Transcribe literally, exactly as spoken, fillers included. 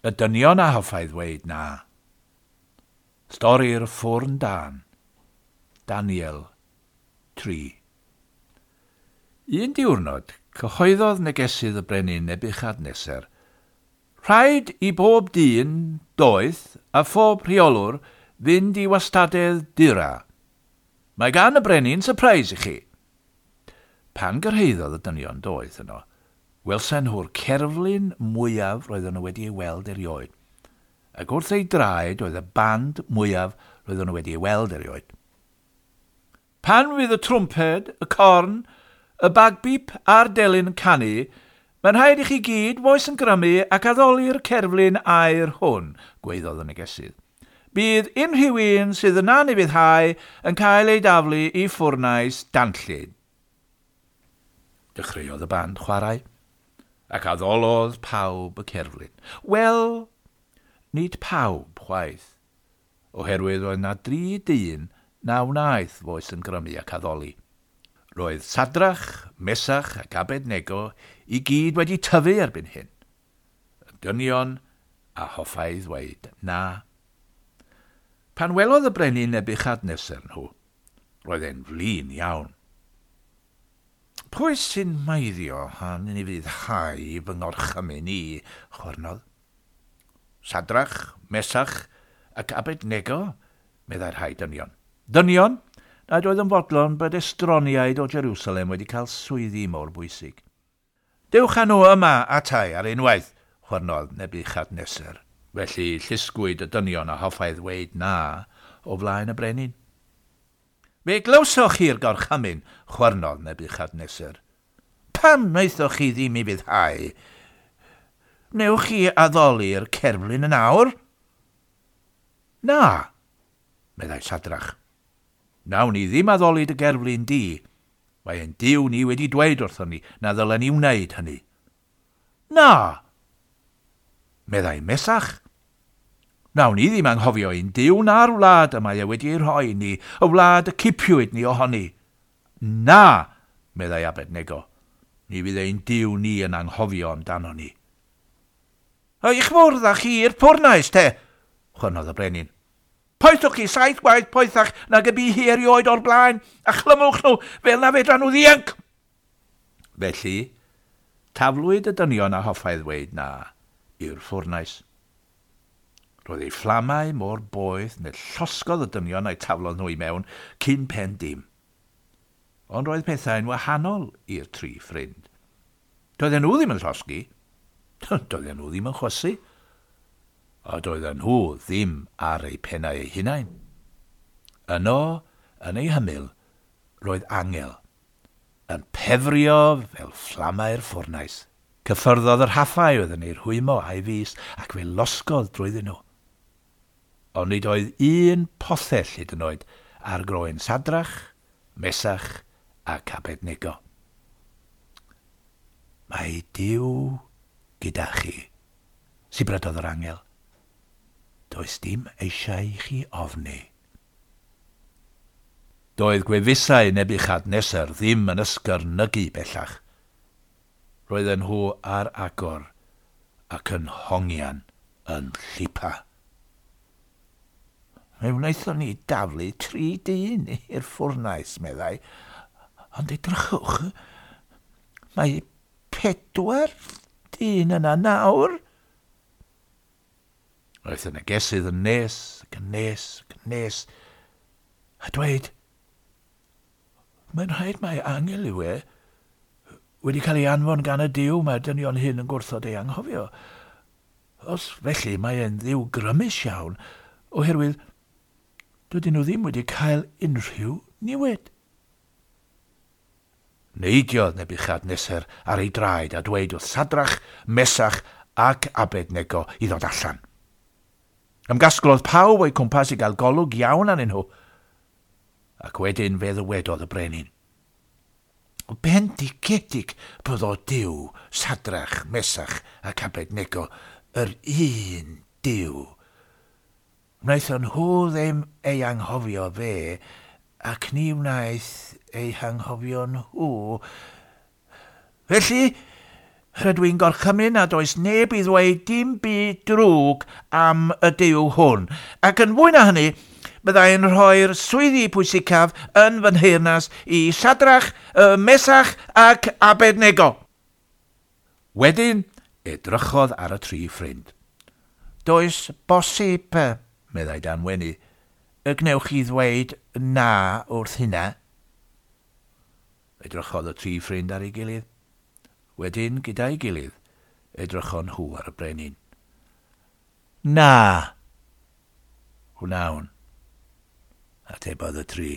Y dynion a hoffai ddweud na. Stori'r ffwrn dân. Daniel tri. Un diwrnod, cyhoeddodd negesydd y brenin Nebiwchadneser, rhaid i bob dyn, doeth, a phob rheolwr fynd i wastadedd Dura. Mae gan y brenin surprise i chi. Pan gyrhaeddodd y dynion doeth yno, welsen nhw'r cerflun mwyaf roedden nhw wedi ei weld erioed, ac wrth ei draed oedd y band mwyaf roedden nhw wedi ei weld erioed. Pan fydd y trwmped, y corn, y bagbip a'r delyn yn canu, mae'n rhaid i chi gyd foes yn grymu ac addoli'r cerflun aur hwn, gweiddodd y negesydd. Bydd unrhyw un sydd yn anufuddhau yn cael ei daflu i ffwrnais danllyd. Dechreuodd y band chwarae, ac addolodd pawb y cerflun. Wel, nid pawb chwaith, oherwydd oedd na dri dyn na wnaeth foes yn grymu ac addoli. Roedd Sadrach, Mesach ac Abednego i gyd wedi tyfu erbyn hyn. Y dynion a hoffai ddweud na. Pan welodd y brenin Nebiwchadneser nhw, roedd e'n flin iawn. Pwy sy'n maeddio han i fuddhau fy ngorchymyn i, chwyrnodd. Sadrach, Mesach ac Abednego, meddai'r rhai dynion. Dynion nad oedd yn fodlon bod estroniaid o Jerusalem wedi cael swyddi mor bwysig. Dewch â nhw yma atai ar unwaith, chwyrnodd Nebiwchadneser. Felly llusgwyd y dynion a hoffai ddweud na o flaen y brenin. Fe glywsoch chi'r gorchymyn, chwyrnodd Nebiwchadneser. Pam wnaethoch chi ddim i fuddhau? Newch chi addoli'r cerflun yn awr? Na, meddai Sadrach. Nawn ni ddim addoli dy gerflun di. Mae ein Duw ni wedi dweud wrthon ni na ddylen ni wneud hynny. Na, meddai Mesach. Nawn ni ddim anghofio ein Duw na'r wlad y mae e wedi ei rhoi ni, y wlad y cipiwyd ni ohoni. Na, meddai Abednego. Ni fydd ein Duw ni yn anghofio amdano ni. Eich fwrdd â chi i'r ffwrnais, te, chwyrnodd y brenin. Poethwch chi saith gwaith poethach nag y bu hi erioed o'r blaen, a chlymwch nhw fel na fedran nhw ddianc. Felly, taflwyd y dynion a hoffai ddweud na i'r ffwrnais. Roedd ei fflamau mor boeth neu llosgodd y dynion a'i taflodd nhw i mewn cyn pen dim. Ond roedd pethau'n wahanol i'r tri ffrind. Doedden nhw ddim yn llosgi, doedden nhw ddim yn chwysu, a doedden nhw ddim ar eu pennau eu hunain. Yno, yn ei hymyl, roedd angel yn pefrio fel fflamau'r ffwrnais. Cyffyrddodd yr rhaffau oedd yn ei rhwymo a'i fys ac fe losgodd drwyddyn nhw. Ond nid oedd un pothell hyd yn oed ar groen Sadrach, Mesach ac Abednego. Mae Duw gyda chi, sibrydodd yr angel. Does dim eisiau i chi ofni. Doedd gwefusau Nebiwchadneser ddim yn ysgyrnygu bellach. Roedden nhw ar agor ac yn hongian yn llipa. Fe wnaethon ni daflu tri dyn i'r ffwrnais, meddai, ond edrychwch, mae pedwar dyn yna nawr. Roedd y negesydd yn nes, ac yn nes, ac yn nes, a dweud, mae'n rhaid mai angel yw e, wedi cael ei anfon gan y Duw mae'r dynion hyn yn gwrthod ei anghofio. Os felly mae e'n ddiw grymus iawn, oherwydd dydyn nhw ddim wedi cael unrhyw niwed. Neidiodd Nebiwchadneser ar ei draed a dweud wrth Sadrach, Mesach ac Abednego i ddod allan. Ymgasglodd pawb o'i cwmpas i gael golwg iawn arnyn nhw, ac wedyn fe ddywedodd y brenin. Bendigedig byddo Duw, Sadrach, Mesach ac Abednego, yr un Duw. Wnaethon nhw ddim ei anghofio fe, ac ni wnaeth ei hanghofio nhw. Felly, Rydw i'n gorchymyn nad oes neb i ddweud dim byd drwg am y Duw hwn. Ac yn fwy na hynny, byddai'n rhoi'r swyddi pwysicaf yn fy nheyrnas i Sadrach, Mesach ac Abednego. Wedyn, edrychodd ar y tri ffrind. Does bosib, meddai dan wenu, y gwnewch chi ddweud na wrth hynna. Edrychodd y tri ffrind ar ei gilydd. Wedyn, gyda'i gilydd, edrychon nhw ar y brenin. Na, wnawn, atebodd y tri.